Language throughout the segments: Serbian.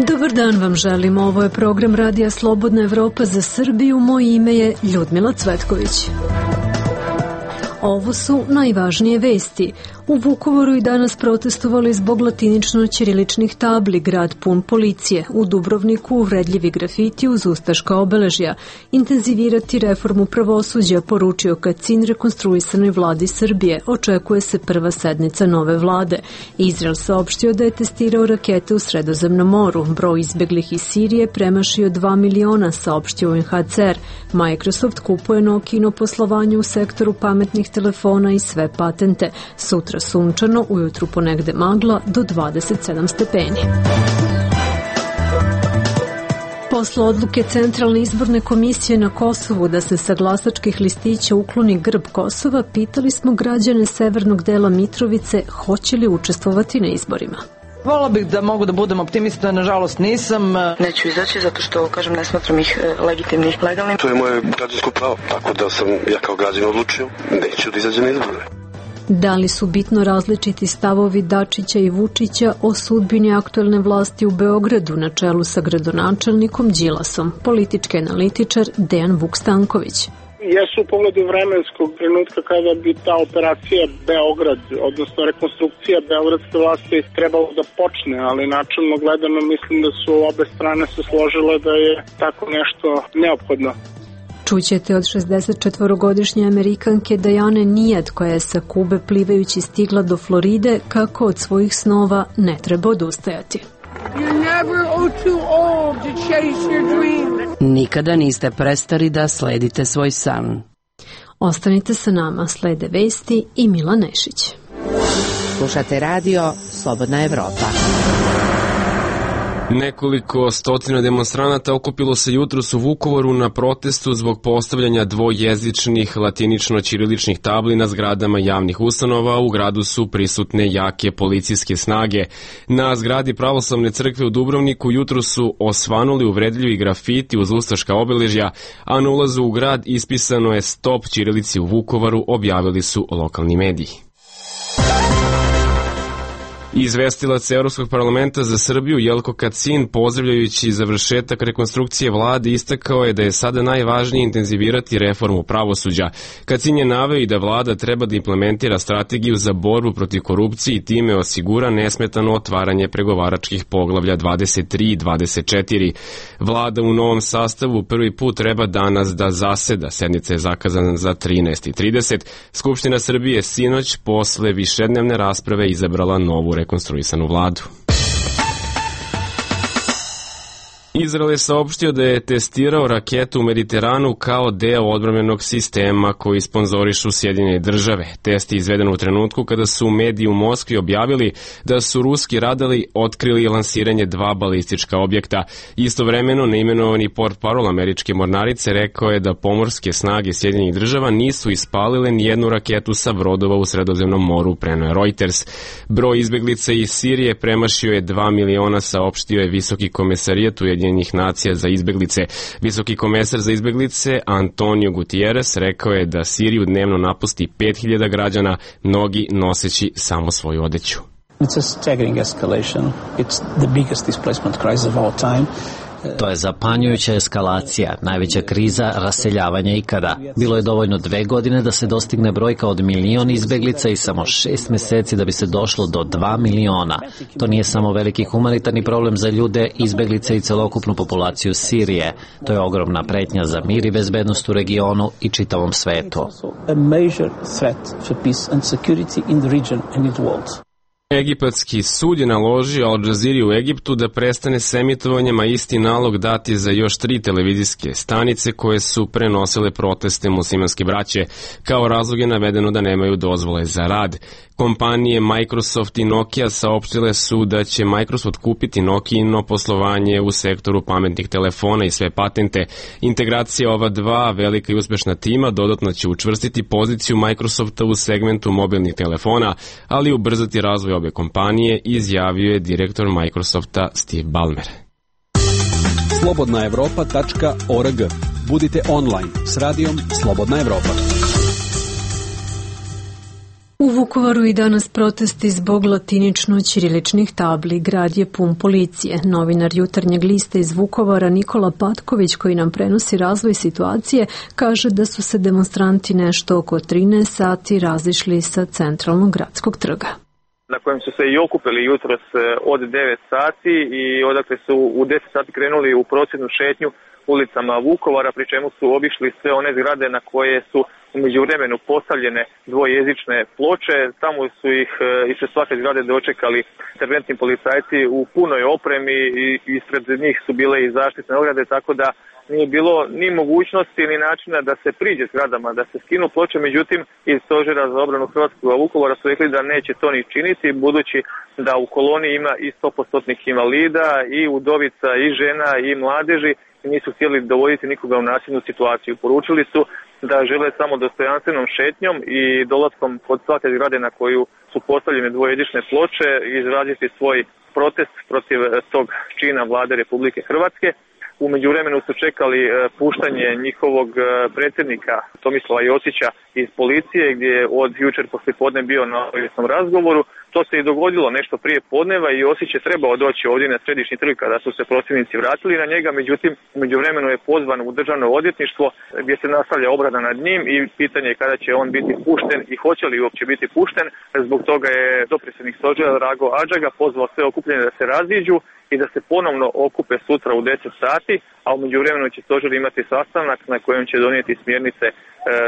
Dobar dan vam želim, ovo je program Radija Slobodna Evropa za Srbiju, moje ime je Ljudmila Cvetković. Ovo su najvažnije vesti. U Vukovaru i danas protestovali zbog latinično-ćiriličnih tabli, grad pun policije. U Dubrovniku uvredljivi grafiti uz ustaška obeležja. Intenzivirati reformu pravosuđa, poručio Kacin rekonstruisanoj vladi Srbije. Očekuje se prva sednica nove vlade. Izrael saopštio da je testirao rakete u Sredozemnom moru. Broj izbeglih iz Sirije premašio 2 miliona, saopštio UNHCR. Microsoft kupuje Nokino poslovanje u sektoru pametnih telefona i sve patente. Sutra sunčano, ujutru ponegde magla do 27 stepeni. Posle odluke Centralne izborne komisije na Kosovu da se sa glasačkih listića ukloni grb Kosova, pitali smo građane severnog dela Mitrovice hoće li učestvovati na izborima. Volila bih da mogu da budem optimista, nažalost nisam. Neću izaći zato što, ne smatram ih legitimnim, legalnim. To je moje građansko pravo, tako da sam ja kao građan odlučio, neću da izađem na izbore. Da li su bitno različiti stavovi Dačića i Vučića o sudbini aktuelne vlasti u Beogradu na čelu sa gradonačelnikom Đilasom? Politički analitičar Dejan Vuk-Stanković. Jesu u pogledu vremenskog trenutka kada bi ta operacija Beograd, odnosno rekonstrukcija beogradske vlasti trebalo da počne, ali načelno gledano mislim da su obe strane se složile da je tako nešto neophodno. Čućete od 64-godišnje Amerikanke Diane Nijad, koja je sa Kube plivajući stigla do Floride, kako od svojih snova ne treba odustajati. Nikada niste prestari da sledite svoj san. Ostanite sa nama, slede vesti i Mila Nešić. Slušate radio Slobodna Evropa. Nekoliko stotina demonstranata okupilo se jutros u Vukovaru na protestu zbog postavljanja dvojezičnih latinično-ćiriličnih tabli na zgradama javnih ustanova. U gradu su prisutne jake policijske snage. Na zgradi Pravoslavne crkve u Dubrovniku jutros su osvanuli uvredljivi grafiti uz ustaška obeležja, a na ulazu u grad ispisano je stop ćirilici u Vukovaru, objavili su lokalni mediji. Izvestilac Evropskog parlamenta za Srbiju Jelko Kacin, pozdravljajući završetak rekonstrukcije vlade, istakao je da je sada najvažnije intenzivirati reformu pravosuđa. Kacin je naveo i da vlada treba da implementira strategiju za borbu protiv korupcije i time osigura nesmetano otvaranje pregovaračkih poglavlja 23 i 24. Vlada u novom sastavu prvi put treba danas da zaseda. Sednica je zakazana za 13:30. Skupština Srbije sinoć posle višednevne rasprave izabrala novu rekonstruisanu vladu. Izrael je saopštio da je testirao raketu u Mediteranu kao deo odbrambenog sistema koji sponzorišu Sjedinjene države. Test je izveden u trenutku kada su mediji u Moskvi objavili da su ruski radari otkrili lansiranje 2 balistička objekta. Istovremeno, neimenovani portparol američke mornarice rekao je da pomorske snage Sjedinjenih država nisu ispalile nijednu raketu sa brodova u Sredozemnom moru, preneo je Reuters. Broj izbeglica iz Sirije premašio je 2 miliona, saopštio je visoki komesarijat Ujedinjenih nacija za izbeglice. Visoki komesar za izbeglice Antonio Gutierrez rekao je da Siriju dnevno napusti 5000 građana, mnogi noseći samo svoju odeću. It's a staggering escalation. It's the biggest displacement crisis of our time. To je zapanjujuća eskalacija, najveća kriza raseljavanja ikada. Bilo je dovoljno 2 godine da se dostigne brojka od 1 milion izbeglica i samo 6 meseci da bi se došlo do 2 miliona. To nije samo veliki humanitarni problem za ljude, izbeglice i celokupnu populaciju Sirije. To je ogromna pretnja za mir i bezbednost u regionu i čitavom svetu. Egipatski sud je naložio Al Jazeeri u Egiptu da prestane s emitovanjem, a isti nalog dati za još 3 televizijske stanice koje su prenosile proteste muslimanske braće. Kao razlog je navedeno da nemaju dozvole za rad. Kompanije Microsoft i Nokia saopštile su da će Microsoft kupiti Nokino poslovanje u sektoru pametnih telefona i sve patente. Integracija ova dva velika i uspešna tima dodatno će učvrstiti poziciju Microsofta u segmentu mobilnih telefona, ali ubrzati razvoj obe kompanije, izjavio je direktor Microsofta Steve Ballmer. slobodnaevropa.org. Budite online s radijom Slobodna Evropa. U Vukovaru i danas protesti zbog latinično-ćiriličnih tabli. Grad je pun policije. Novinar Jutarnjeg lista iz Vukovara Nikola Patković, koji nam prenosi razvoj situacije, kaže da su se demonstranti nešto oko 13 sati razišli sa centralnog gradskog trga, na kojem su se i okupili jutros od 9 sati i odakle su u 10 sati krenuli u prosvjednu šetnju ulicama Vukovara, pri čemu su obišli sve one zgrade na koje su u međuvremenu postavljene dvojezične ploče. Tamo su ih ispred svake zgrade dočekali interventni policajci u punoj opremi i ispred njih su bile i zaštitne ograde, tako da nije bilo ni mogućnosti ni načina da se priđe zgradama, da se skinu ploče. Međutim, iz Stožera za obranu Hrvatskog Vukovara su rekli da neće to ni činiti, budući da u koloni ima i 100% invalida, i udovica, i žena, i mladeži, i nisu htjeli dovoditi nikoga u nasilnu situaciju. Poručili su da žele samo dostojanstvenom šetnjom i dolaskom kod svake zgrade na koju su postavljene dvojezične ploče izraziti svoj protest protiv tog čina vlade Republike Hrvatske. U međuvremenu su čekali puštanje njihovog predsjednika Tomislava Josića iz policije, gdje je od jučer poslijepodne bio na obavijesnom razgovoru. To se i dogodilo nešto prije podneva i Josić je trebao doći ovdje na središnji trg kada su se prosvjednici vratili na njega, međutim u međuvremenu je pozvan u državno odvjetništvo gdje se nastavlja obrada nad njim i pitanje je kada će on biti pušten i hoće li uopće biti pušten. Zbog toga je dopredsjednik Stožera Drago Adžaga pozvao sve okupljene da se raziđu i da se ponovno okupe sutra u 10 sati, a u međuvremenu će Stožer imati sastanak na kojem će donijeti smjernice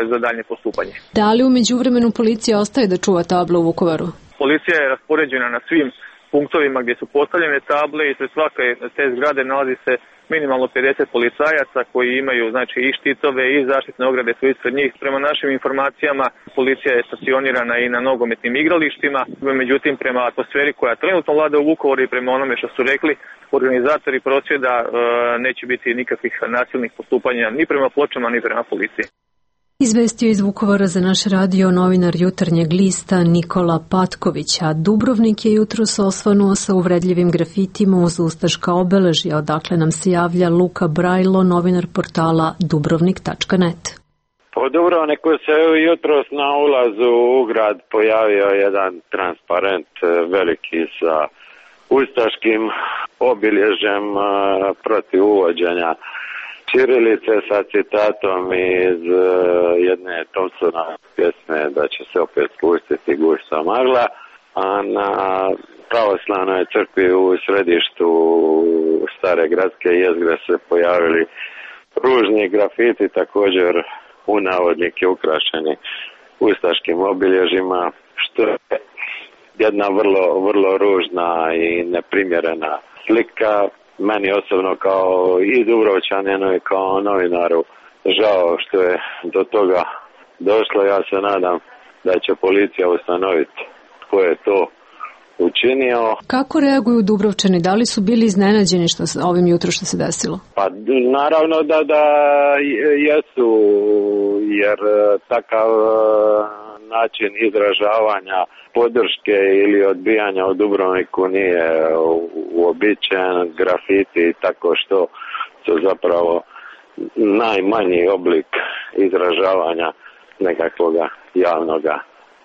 za daljnje postupanje. Da li u međuvremenu policija ostaje da čuva table u Vukovaru? Policija je raspoređena na svim punktovima gdje su postavljene table i sve svake te zgrade nalazi se minimalno 50 policajaca koji imaju znači i štitove i zaštitne ograde su ispred njih. Prema našim informacijama policija je stacionirana i na nogometnim igralištima, međutim prema atmosferi koja trenutno vlada u Vukovaru i prema onome što su rekli organizatori prosvjeda neće biti nikakvih nasilnih postupanja ni prema pločama ni prema policiji. Izvestio iz Vukovara za naš radio novinar Jutarnjeg lista Nikola Patković, a Dubrovnik je jutros osvanuo sa uvredljivim grafitima uz ustaška obeležja, odakle nam se javlja Luka Brajlo, novinar portala dubrovnik.net. Po Dubrovniku se jutros na ulazu u grad pojavio jedan transparent veliki sa ustaškim obilježjem protiv uvođenja ćirilice sa citatom iz jedne Thompsona pjesme da će se opet spustiti gušta magla, a na pravoslavnoj crkvi u središtu stare gradske jezgre se pojavili ružni grafiti, također u navodnike ukrašeni ustaškim obilježima, što je jedna vrlo ružna i neprimjerena slika. Meni osobno kao i Dubrovčaninu i kao novinaru žao što je do toga došlo. Ja se nadam da će policija ustanoviti tko je to učinio. Kako reaguju Dubrovčani? Da li su bili iznenađeni ovim jutro što se desilo? Pa naravno da jesu, jer takav način izražavanja podrške ili odbijanja u Dubrovniku nije uobičajen. Grafiti i tako što su zapravo najmanji oblik izražavanja nekakvog javnog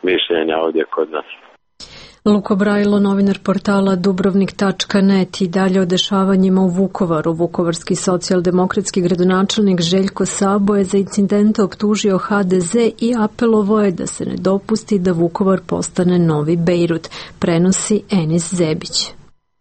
mišljenja ovdje kod nas. Luko Brajlo, novinar portala Dubrovnik.net. I dalje o dešavanjima u Vukovaru. Vukovarski socijaldemokratski gradonačelnik Željko Sabo je za incidente optužio HDZ i apelovao je da se ne dopusti da Vukovar postane novi Bejrut, prenosi Enis Zebić.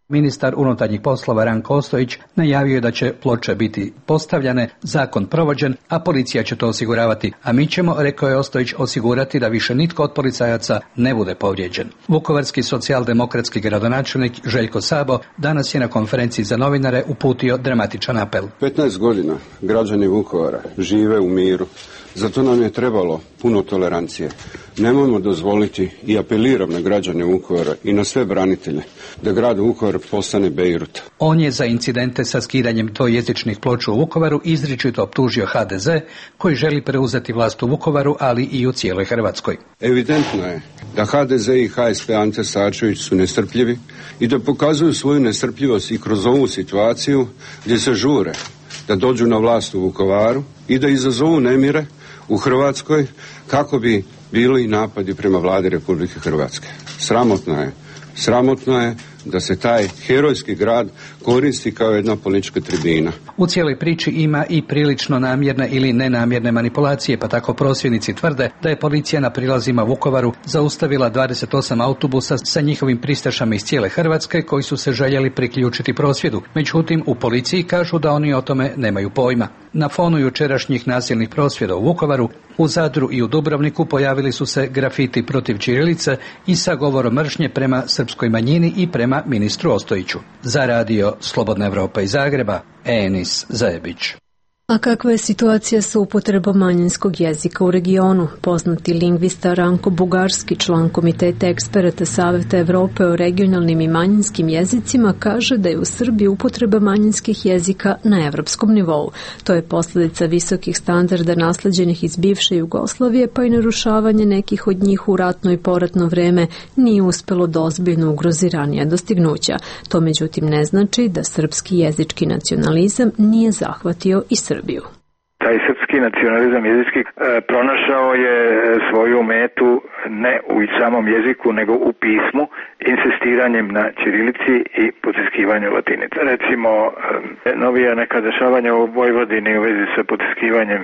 Ministar unutarnjih poslova Ranko Ostojić najavio je da će ploče biti postavljane, zakon provođen, a policija će to osiguravati. A mi ćemo, rekao je Ostojić, osigurati da više nitko od policajaca ne bude povrijeđen. Vukovarski socijaldemokratski gradonačelnik Željko Sabo danas je na konferenciji za novinare uputio dramatičan apel. 15 godina građani Vukovara žive u miru. Zato nam je trebalo puno tolerancije. Nemojmo dozvoliti i apeliram na građane Vukovara i na sve branitelje da grad Vukovar postane Bejrut. On je za incidente sa skidanjem dvojezičnih ploča u Vukovaru izričito optužio HDZ koji želi preuzeti vlast u Vukovaru, ali i u cijeloj Hrvatskoj. Evidentno je da HDZ i HSP Ante Starčević su nestrpljivi i da pokazuju svoju nestrpljivost i kroz ovu situaciju gdje se žure da dođu na vlast u Vukovaru i da izazovu nemire u Hrvatskoj kako bi bili napadi prema vladi Republike Hrvatske. Sramotno je da se taj herojski grad koristi kao jedna politička tribina. U cijeloj priči ima i prilično namjerne ili nenamjerne manipulacije, pa tako prosvjednici tvrde da je policija na prilazima Vukovaru zaustavila 28 autobusa sa njihovim pristašama iz cijele Hrvatske koji su se željeli priključiti prosvjedu. Međutim, u policiji kažu da oni o tome nemaju pojma. Na fonu jučerašnjih nasilnih prosvjeda u Vukovaru, u Zadru i u Dubrovniku pojavili su se grafiti protiv ćirilice i sa govorom mržnje prema srpskoj manjini i prema ministru Ostojiću. Za radio Slobodna Evropa iz Zagreba, Enis Zajebić. A kakva je situacija sa upotrebom manjinskog jezika u regionu? Poznati lingvista Ranko Bugarski, član Komiteta eksperata Saveta Evrope o regionalnim i manjinskim jezicima, kaže da je u Srbiji upotreba manjinskih jezika na evropskom nivou. To je posljedica visokih standarda nasleđenih iz bivše Jugoslavije, pa i narušavanje nekih od njih u ratno i poratno vreme nije uspelo da ozbiljno ugrozi ranija dostignuća. To međutim ne znači da srpski jezički nacionalizam nije zahvatio i Srbiju. Taj srpski nacionalizam jezički pronašao je svoju metu ne u samom jeziku, nego u pismu, insistiranjem na ćirilici i potiskivanju latinice. Recimo, novija neka dešavanja u Vojvodini u vezi sa potiskivanjem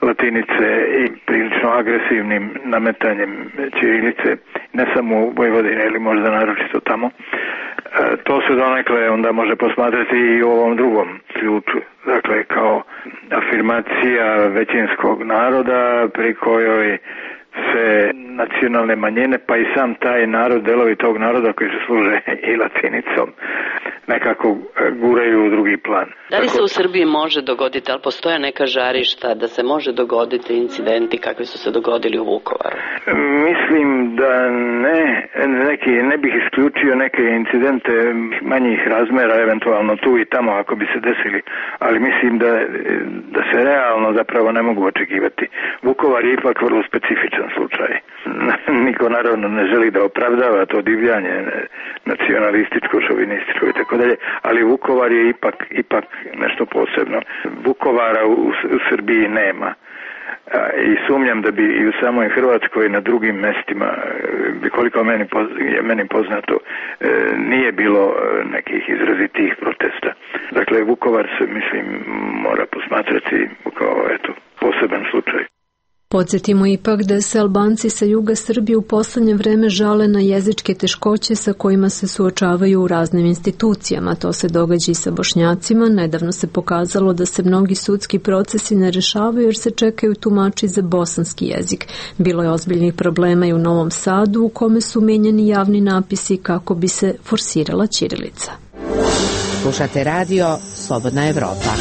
latinice i prilično agresivnim nametanjem ćirilice, ne samo u Vojvodini, ili možda naročito tamo, to se donekle onda može posmatrati i u ovom drugom ključu, dakle kao afirmacija većinskog naroda pri kojoj se nacionalne manjine, pa i sam taj narod, delovi tog naroda koji se služe i latinicom, nekako guraju u drugi plan. Da li se u Srbiji može dogoditi, ali postoje neka žarišta da se može dogoditi incidenti kakvi su se dogodili u Vukovaru? Mislim da ne bih isključio neke incidente manjih razmera, eventualno tu i tamo ako bi se desili, ali mislim da se realno zapravo ne mogu očekivati. Vukovar je ipak vrlo specifičan slučaj. Niko naravno ne želi da opravdava to divljanje nacionalističko, šovinističko i tako dalje, ali Vukovar je ipak nešto posebno. Vukovara u Srbiji nema. I sumnjam da bi i u samoj Hrvatskoj na drugim mestima, koliko je meni poznato, nije bilo nekih izrazitih protesta. Dakle, Vukovar se, mislim, mora posmatrati kao poseban slučaj. Podsjetimo ipak da se Albanci sa juga Srbije u poslednje vreme žale na jezičke teškoće sa kojima se suočavaju u raznim institucijama. To se događa i sa Bošnjacima. Nedavno se pokazalo da se mnogi sudski procesi ne rešavaju jer se čekaju tumači za bosanski jezik. Bilo je ozbiljnih problema i u Novom Sadu u kome su menjani javni napisi kako bi se forsirala ćirilica. Slušate radio Slobodna Evropa.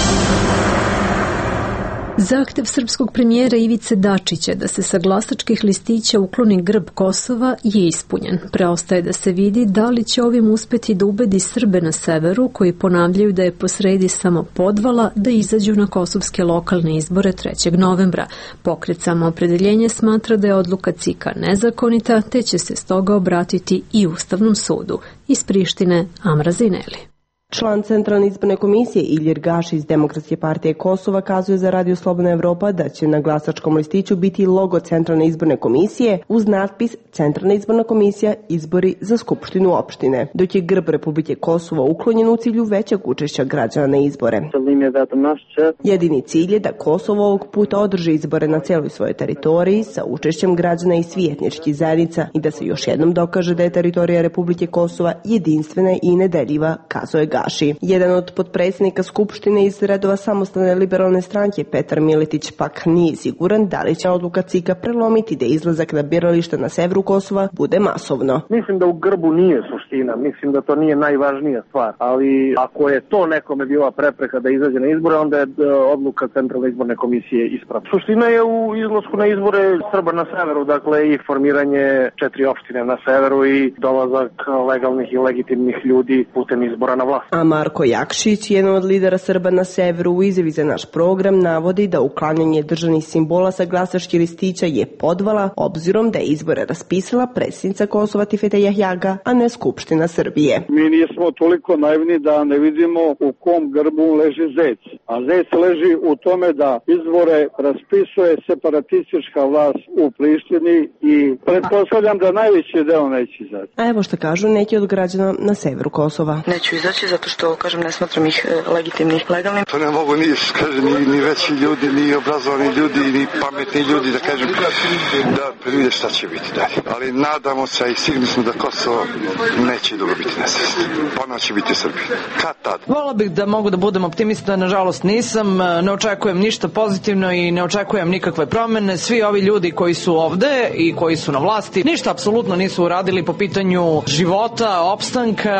Zahtev srpskog premijera Ivice Dačića da se sa glasačkih listića ukloni grb Kosova je ispunjen. Preostaje da se vidi da li će ovim uspeti da ubedi Srbe na severu, koji ponavljaju da je posredi samo podvala, da izađu na kosovske lokalne izbore 3. novembra. Pokret Samoopredeljenje smatra da je odluka CIK-a nezakonita, te će se stoga obratiti i Ustavnom sudu. Iz Prištine, Amra Zineli. Član Centralne izborne komisije Ilir Gaši iz Demokratske partije Kosova kazuje za Radio Slobodna Evropa da će na glasačkom listiću biti logo Centralne izborne komisije uz natpis Centralna izborna komisija izbori za Skupštinu opštine, dok je grb Republike Kosovo uklonjen u cilju većeg učešća građana na izbore. Jedini cilj je da Kosovo ovog puta održi izbore na celoj svojoj teritoriji sa učešćem građana i svih etničkih zajednica i da se još jednom dokaže da je teritorija Republike Kosova jedinstvena i nedeljiva, kazuje Gaši. Jedan od potpredsjednika Skupštine iz redova Samostalne liberalne stranke, Petar Miletić, pak nije siguran da li će odluka CIK-a prelomiti da izlazak na birališta na severu Kosova bude masovno. Mislim da u grbu nije suština, mislim da to nije najvažnija stvar, ali ako je to nekome bila prepreka da izađe na izbore, onda je odluka Centralne izborne komisije ispravna. Suština je u izlasku na izbore Srba na severu, dakle i formiranje 4 opštine na severu i dolazak legalnih i legitimnih ljudi putem izbora na vlast. A Marko Jakšić, jedan od lidera Srba na severu, u izjavi za naš program navodi da uklanjanje državnih simbola sa glasačkih listića je podvala, obzirom da je izbore raspisala predsjednica Kosova Tifeta Jahjaga, a ne Skupština Srbije. Mi nismo toliko naivni da ne vidimo u kom grbu leži zec. A zec leži u tome da izbore raspisuje separatistička vlast u Prištini i pretpostavljam da najveći deo neće izaći. A evo što kažu neki od građana na severu Kosova. Neću izaći zato što, ne smatram ih legitimnih, legalnim. To ne mogu ni veći ljudi, ni obrazovani ljudi, ni pametni ljudi da kažem da vide šta će biti dalje. Ali nadamo se i sigurni smo da Kosovo neće dugo biti nesvesno. Ponovno će biti u Srbiji. Kad tad? Volao bih da mogu da budem optimista, nažalost nisam, ne očekujem ništa pozitivno i ne očekujem nikakve promene. Svi ovi ljudi koji su ovde i koji su na vlasti ništa apsolutno nisu uradili po pitanju života, opstanka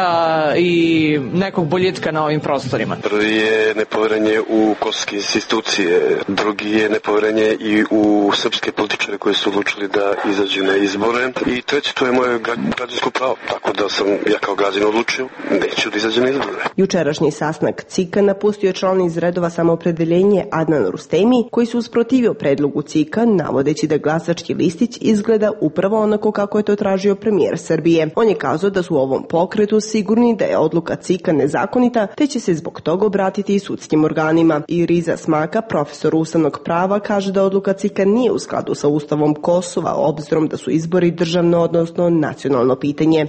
i nekog boljitka na ovim prostorima. Prvi je nepoverenje u kosovske institucije, drugi je nepoverenje i u srpske političare koji su odlučili da izađu na izbore i treći, to je moje građansko pravo, tako da sam ja kao građanin odlučio neću da izađem na izbore. Jučerašnji sastanak CIK-a napustio član iz redova Samoopredeljenje Adnan Rustemi, koji se usprotivio predlogu CIK-a, navodeći da glasački listić izgleda upravo onako kako je to tražio premijer Srbije. On je kazao da su u ovom pokretu sigurni da je odluka CIK-a nezakonita, te će se zbog toga obratiti i sudskim organima. I Riza Smaka, profesor ustavnog prava, kaže da odluka CIK-a nije u skladu sa Ustavom Kosova, obzirom da su izbori državno, odnosno nacionalno pitanje.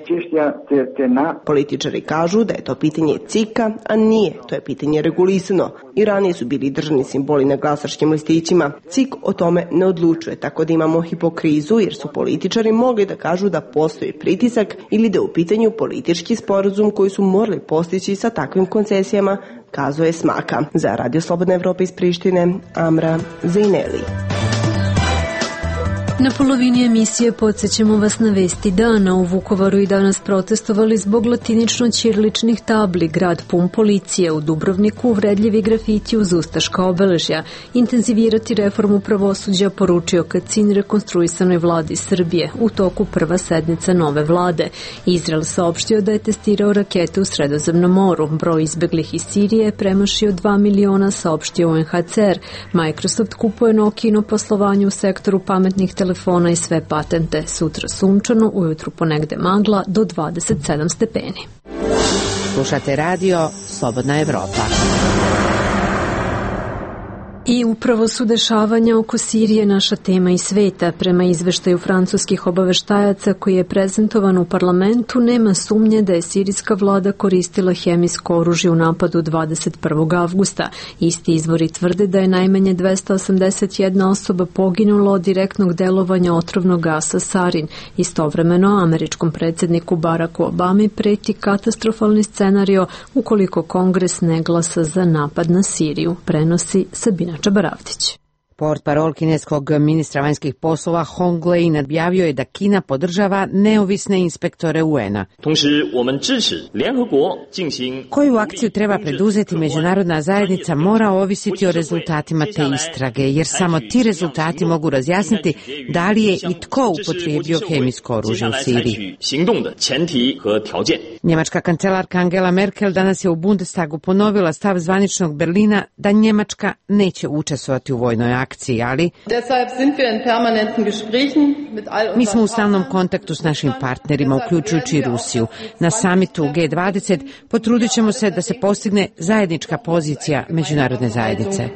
Političari kažu da je to pitanje CIK-a, a nije, to je pitanje regulisano. I ranije su bili državni simboli na glasačkim listićima. CIK o tome ne odlučuje, tako da imamo hipokrizu jer su političari mogli da kažu da postoji pritisak ili da je u pitanju politički sporazum koji su morali postići sa takvim koncesijama, kazuje Smaka. Za Radio Slobodna Evropa iz Prištine, Amra Zejneli. Na polovini emisije podsjećamo vas na vesti dana. U Vukovaru i danas protestovali zbog latinično-ćiriličnih tabli, grad pun policije, u Dubrovniku uvredljivi grafiti uz ustaška obeležja, intenzivirati reformu pravosuđa, poručio Kacin rekonstruisanoj vladi Srbije u toku prva sednica nove vlade. Izrael saopštio da je testirao rakete u Sredozemnom moru. Broj izbeglih iz Sirije je premašio 2 miliona, saopštio UNHCR. Microsoft kupuje Nokino poslovanje u sektoru pametnih telefona i sve patente. Sutra sunčano, ujutru ponegde magla do 27 stepeni. Slušate radio Slobodna Evropa. I upravo su dešavanja oko Sirije naša tema i sveta. Prema izveštaju francuskih obaveštajaca koji je prezentovan u parlamentu, nema sumnje da je sirijska vlada koristila hemijsko oružje u napadu 21. avgusta. Isti izvori tvrde da je najmanje 281 osoba poginulo od direktnog delovanja otrovnog gasa sarin. Istovremeno, američkom predsjedniku Baracku Obami preti katastrofalni scenario ukoliko Kongres ne glasa za napad na Siriju, prenosi Sabina Čabaravdić. Portparol kineskog ministra vanjskih poslova Hong Lei objavio je da Kina podržava neovisne inspektore UN-a. Koju akciju treba preduzeti međunarodna zajednica mora ovisiti o rezultatima te istrage, jer samo ti rezultati mogu razjasniti da li je i tko upotrijebio hemijsko oružje u Siriji. Njemačka kancelarka Angela Merkel danas je u Bundestagu ponovila stav zvaničnog Berlina da Njemačka neće učestvovati u vojnoj akciji, ali mi smo u stalnom kontaktu s našim partnerima, uključujući i Rusiju. Na samitu G20 potrudit ćemo se da se postigne zajednička pozicija međunarodne zajednice.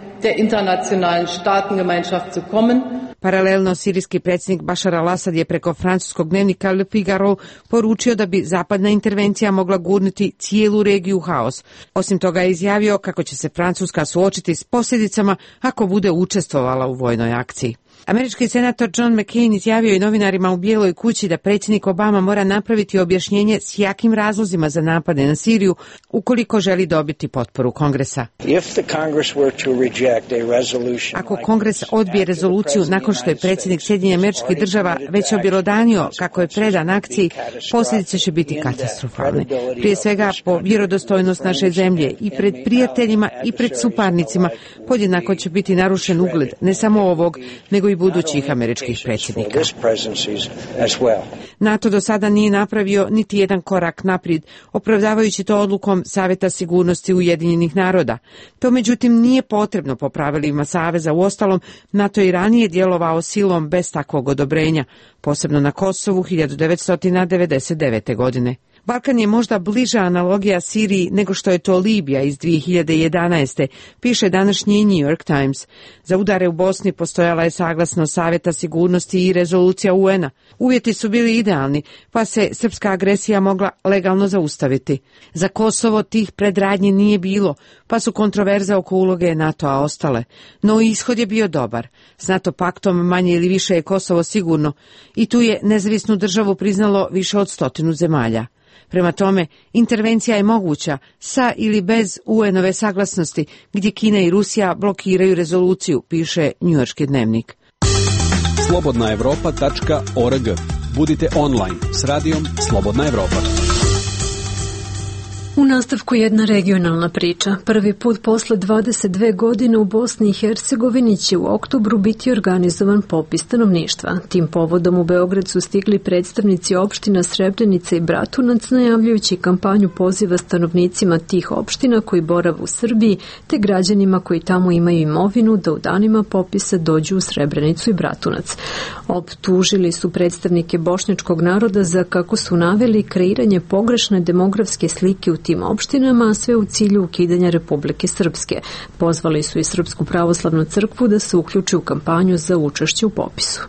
Paralelno, sirijski predsjednik Bašar al-Assad je preko francuskog dnevnika Le Figaro poručio da bi zapadna intervencija mogla gurnuti cijelu regiju u haos. Osim toga je izjavio kako će se Francuska suočiti s posljedicama ako bude učestvovala u vojnoj akciji. Američki senator John McCain izjavio i novinarima u Bijeloj kući da predsjednik Obama mora napraviti objašnjenje s jakim razlozima za napade na Siriju ukoliko želi dobiti potporu Kongresa. Ako Kongres odbije rezoluciju nakon što je predsjednik Sjedinjenih Američkih Država već objelodanio kako je predan akciji, posljedice će biti katastrofalne. Prije svega po vjerodostojnost naše zemlje i pred prijateljima i pred suparnicima podjednako će biti narušen ugled ne samo ovog, nego i budućih američkih predsjednika. NATO do sada nije napravio niti jedan korak naprijed, opravdavajući to odlukom Saveta sigurnosti Ujedinjenih naroda. To međutim nije potrebno po pravilima Saveza. Uostalom, NATO i ranije djelovao silom bez takvog odobrenja, posebno na Kosovu 1999. godine. Balkan je možda bliža analogija Siriji nego što je to Libija iz 2011. piše današnji New York Times. Za udare u Bosni postojala je saglasnost Saveta sigurnosti i rezolucija UN-a. Uvjeti su bili idealni, pa se srpska agresija mogla legalno zaustaviti. Za Kosovo tih predradnji nije bilo, pa su kontroverze oko uloge NATO-a ostale. No ishod je bio dobar. S NATO paktom manje ili više je Kosovo sigurno i tu je nezavisnu državu priznalo više od 100 zemalja. Prema tome, intervencija je moguća sa ili bez UN-ove saglasnosti, gdje Kina i Rusija blokiraju rezoluciju, piše njujorški dnevnik. slobodnaevropa.org. Budite online s radijom Slobodna Evropa. U nastavku jedna regionalna priča. Prvi put posle 22 godine u Bosni i Hercegovini će u oktobru biti organizovan popis stanovništva. Tim povodom u Beograd su stigli predstavnici opština Srebrenica i Bratunac, najavljujući kampanju poziva stanovnicima tih opština koji borave u Srbiji, te građanima koji tamo imaju imovinu da u danima popisa dođu u Srebrenicu i Bratunac. Optužili su predstavnike bošnjačkog naroda za, kako su naveli, kreiranje pogrešne demografske slike u tim opštinama, a sve u cilju ukidanja Republike Srpske. Pozvali su i Srpsku pravoslavnu crkvu da se uključi u kampanju za učešće u popisu.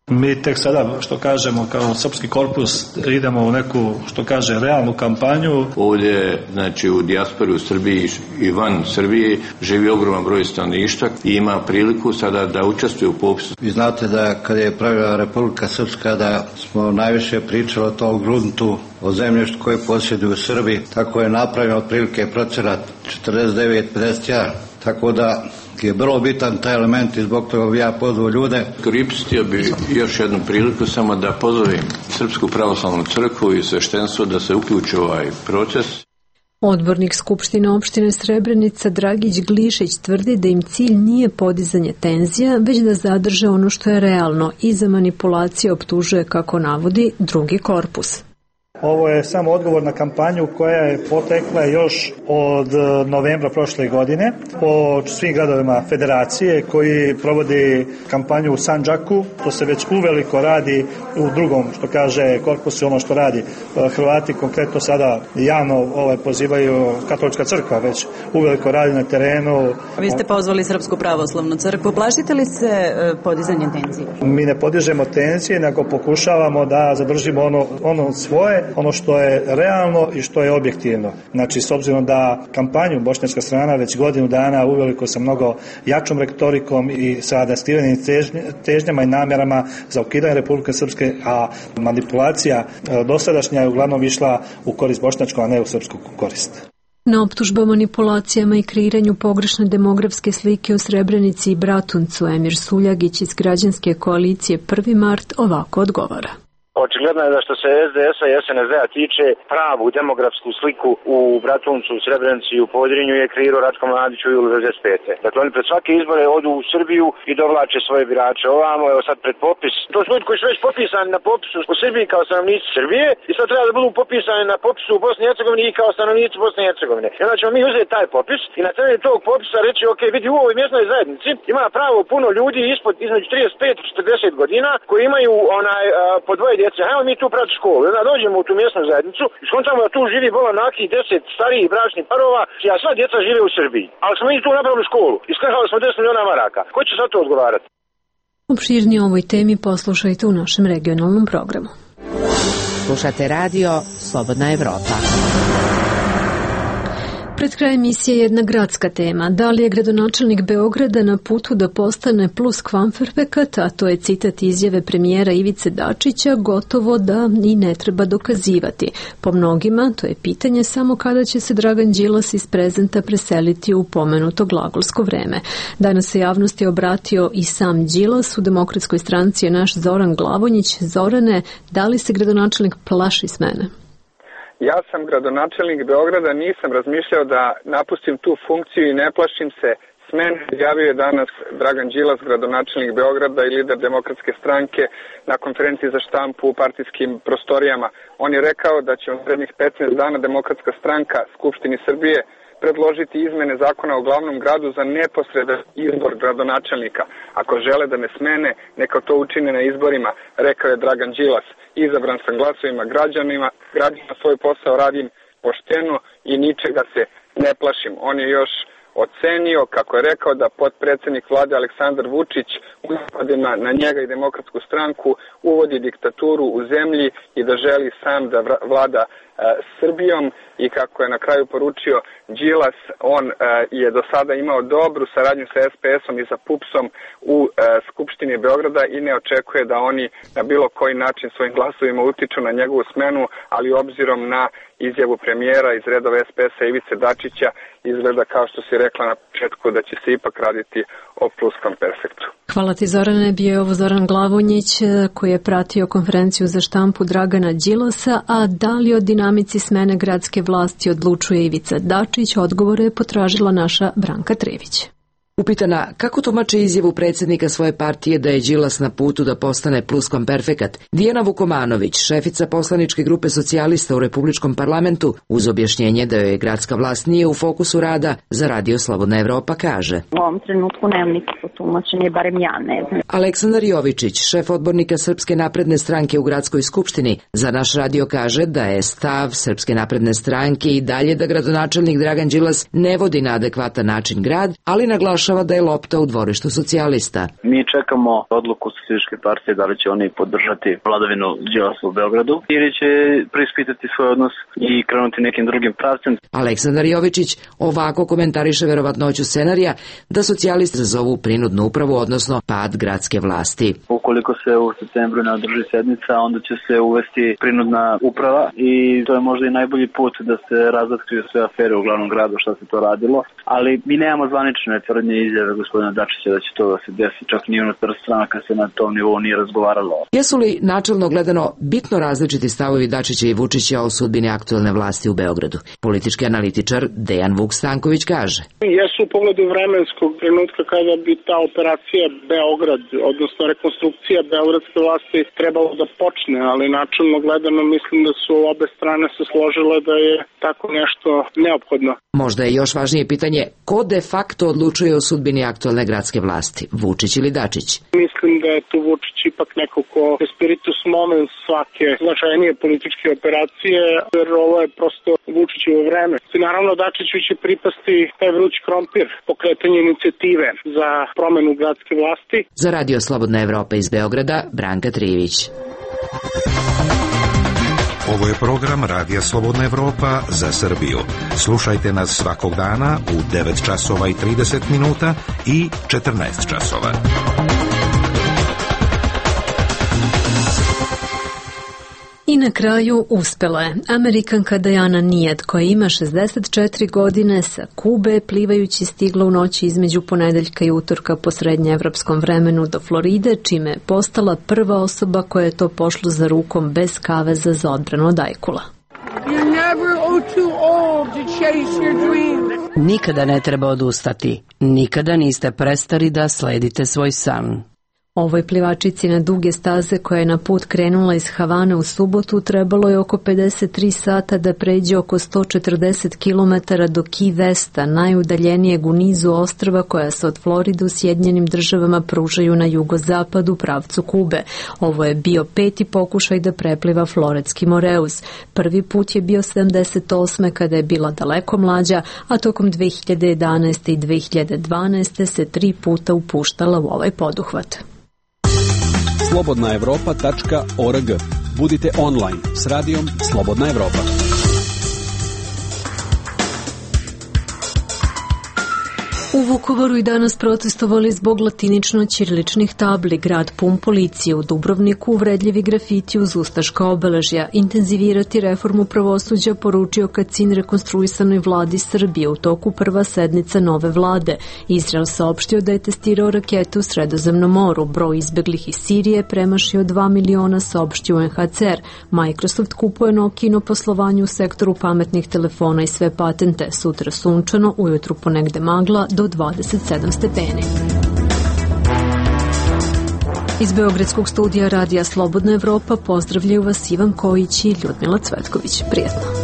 Mi tek sada, što kažemo, kao srpski korpus idemo u neku, što kaže, realnu kampanju. Ovdje, znači, u dijaspori u Srbiji i van Srbije živi ogroman broj stanovništva i ima priliku sada da učestvuje u popisu. Vi znate da kad je pravila Republika Srpska da smo najviše pričali o tom gruntu, o zemljištu koje posjeduju Srbi, tako je napravljeno otprilike procenat 49-51, tako da je vrlo bitan taj element i zbog toga bi ja pozvao ljude. Koristio bi još jednu priliku samo da pozovem Srpsku pravoslavnu crkvu i sveštenstvo da se uključi u ovaj proces. Odbornik Skupštine opštine Srebrenica Dragić Glišić tvrdi da im cilj nije podizanje tenzija, već da zadrže ono što je realno i za manipulacije optužuje, kako navodi, drugi korpus. Ovo je samo odgovor na kampanju koja je potekla još od novembra prošle godine po svim gradovima federacije koji provodi kampanju u Sandžaku. To se već uveliko radi u drugom, što kaže korpusu, ono što radi Hrvati, konkretno sada javno pozivaju Katolička crkva, već uveliko radi na terenu. Vi ste pozvali Srpsku pravoslavnu crkvu. Plašite li se podizanje tenzije? Mi ne podižemo tenzije, nego pokušavamo da zadržimo ono svoje, ono što je realno i što je objektivno. Znači, s obzirom da kampanju bošnjačka strana već godinu dana uveliko sa mnogo jačom retorikom i sa adestivenim težnjama i namjerama za ukidanje Republike Srpske, a manipulacija dosadašnja je uglavnom išla u korist bošnjačku, a ne u srpsku korist. Na optužbe o manipulacijama i kreiranju pogrešne demografske slike u Srebrenici i Bratuncu Emir Suljagić iz građanske koalicije 1. mart ovako odgovara. Očigledno je da što se SDS-a i SNSD-a tiče, pravu demografsku sliku u Bratuncu, u Srebrenici i u Podrinju je kreirao Ratko Mladić u julu 1995. Dakle, oni pred svake izbore odu u Srbiju i dovlače svoje birače ovamo, evo sad pred popis. To su ljudi koji su već popisani na popisu u Srbiji kao stanovnici Srbije i sad treba da budu popisani na popisu u Bosni i Hercegovini i kao stanovnici Bosne i Hercegovine. I onda ćemo mi uzeti taj popis i na temelju tog popisa reći, ok, vidi, u ovoj mjesnoj zajednici ima pravo puno ljudi između 35 i 40 godina koji imaju po dvoje djece. Hajmo mi tu prati školu. Onda dođemo u tu mjesnu zajednicu i skontamo da tu živi bola nakih 10 starijih bračnih parova, a sva djeca žive u Srbiji. Ali smo mi tu napravili školu i skrhali smo 10 miliona maraka. Ko će sad to odgovarati? Opširnije o ovoj temi poslušajte u našem regionalnom programu. Slušate radio Slobodna Evropa. Pred kraj emisije jedna gradska tema. Da li je gradonačelnik Beograda na putu da postane pluskvamperfekat, a to je citat izjave premijera Ivice Dačića, gotovo da i ne treba dokazivati. Po mnogima, to je pitanje samo kada će se Dragan Đilas iz prezenta preseliti u pomenuto glagolsko vreme. Danas se javnosti obratio i sam Đilas. U Demokratskoj stranci je naš Zoran Glavonjić. Zorane, da li se gradonačelnik plaši smene? Ja sam gradonačelnik Beograda, nisam razmišljao da napustim tu funkciju i ne plašim se smene javio je danas Dragan Đilas, gradonačelnik Beograda i lider Demokratske stranke na konferenciji za štampu u partijskim prostorijama. On je rekao da će u narednih 15 dana Demokratska stranka Skupštini Srbije predložiti izmene zakona o glavnom gradu za neposredan izbor gradonačelnika. Ako žele da me smene, neka to učine na izborima, rekao je Dragan Đilas. Izabran sam glasovima građana, svoj posao radim pošteno i ničega se ne plašim. On je još ocenio, kako je rekao, da potpredsednik vlade Aleksandar Vučić u napadima na njega i Demokratsku stranku uvodi diktaturu u zemlji i da želi sam da vlada Srbijom, i kako je na kraju poručio Đilas, on je do sada imao dobru saradnju sa SPS-om i sa PUPS-om u Skupštini Beograda i ne očekuje da oni na bilo koji način svojim glasovima utiču na njegovu smenu, ali obzirom na izjavu premijera iz redova SPS-a Ivice Dačića, izgleda, kao što si rekla na početku, da će se ipak raditi o pluskvamperfektu. Hvala ti, Zorane. Bio je ovo Zoran Glavonjić koji je pratio konferenciju za štampu Dragana Đilasa, a da li o dinamici smene gradske vlasti odlučuje Ivica Dačić, odgovore je potražila naša Branka Trević. Upitana kako tumače izjavu predsjednika svoje partije da je Đilas na putu da postane pluskvamperfekat, Dijana Vukomanović, šefica poslaničke grupe socijalista u Republičkom parlamentu, uz objašnjenje da joj gradska vlast nije u fokusu rada za Radio Slobodna Evropa, kaže: U ovom trenutku nemam nikakvo tumačenje, barem ja ne znam. Aleksandar Jovičić, šef odbornika Srpske napredne stranke u gradskoj skupštini, za naš radio kaže da je stav Srpske napredne stranke i dalje da gradonačelnik Dragan Đilas ne vodi na adekvatan način grad, ali naglašava da je lopta u dvorištu socijalista. Mi čekamo odluku Socijalističke partije da li će oni podržati vladavinu Đilasa u Beogradu ili će preispitati svoj odnos i krenuti nekim drugim pravcem. Aleksandar Jovičić ovako komentariše verovatnoću scenarija da socijalisti zazovu prinudnu upravu, odnosno pad gradske vlasti. Ukoliko se u septembru ne održi sednica, onda će se uvesti prinudna uprava i to je možda i najbolji put da se razotkriju sve afere u glavnom gradu, šta se to radilo, ali mi nemamo zvanične tvrdnje izjave gospodina Dačića da će to da se desi, čak ni unutar stranaka se na tom nivou nije razgovaralo. Jesu li načelno gledano bitno različiti stavovi Dačića i Vučića o sudbini aktuelne vlasti u Beogradu? Politički analitičar Dejan Vuk Stanković kaže: Jesu u pogledu vremenskog trenutka kada bi ta operacija Beograd, odnosno rekonstrukcija beogradske vlasti trebalo da počne, ali načelno gledano mislim da su obe strane se složile da je tako nešto neophodno. Možda je još važnije pitanje ko de facto odlučuje o sudbini aktuelne gradske vlasti, Vučić ili Dačić? Mislim da je tu Vučić ipak neko ko je spiritus movens svake značajnije političke operacije, jer ovo je prosto Vučićevo vreme. I naravno Dačiću će pripasti taj vruć krompir, pokretanje inicijative za promenu gradske vlasti. Za Radio Slobodna Evropa iz Beograda, Branka Trivić. Ovo je program Radija Slobodna Evropa za Srbiju. Slušajte nas svakog dana u 9 časova i 30 minuta i 14 časova. I na kraju uspela je. Amerikanka Diana Nijed, koja ima 64 godine, sa Kube plivajući stigla u noći između ponedeljka i utorka po srednjeevropskom vremenu do Floride, čime je postala prva osoba koja je to pošla za rukom bez kaveza za odbranu od ajkula. Nikada ne treba odustati. Nikada niste prestali da sledite svoj san. Ovoj plivačici na duge staze koja je na put krenula iz Havane u subotu trebalo je oko 53 sata da pređe oko 140 km do Key Westa, najudaljenijeg u nizu ostrva koja se od Floride u Sjedinjenim Državama pružaju na jugozapadu pravcu Kube. Ovo je bio 5. pokušaj da prepliva Floridski Moreus. Prvi put je bio 78. kada je bila daleko mlađa, a tokom 2011. i 2012. se 3 puta upuštala u ovaj poduhvat. slobodnaevropa.org. Budite online s radijom Slobodna Evropa. U Vukovaru i danas protestovali zbog latinično-ćiriličnih tabli, grad pun policije, u Dubrovniku uvredljivi grafiti uz ustaška obeležja, intenzivirati reformu pravosuđa, poručio Kacin rekonstruisanoj vladi Srbije u toku prva sednica nove vlade. Izrael saopštio da je testirao rakete u Sredozemnom moru, broj izbeglih iz Sirije premašio 2 miliona, saopštio UNHCR. Microsoft kupuje Nokino poslovanje u sektoru pametnih telefona i sve patente. Sutra sunčano, ujutru ponegde magla, do 27 stepeni. Iz Beogradskog studija Radija Slobodna Evropa pozdravljaju vas Ivan Kojić i Ljudmila Cvetković. Prijetno.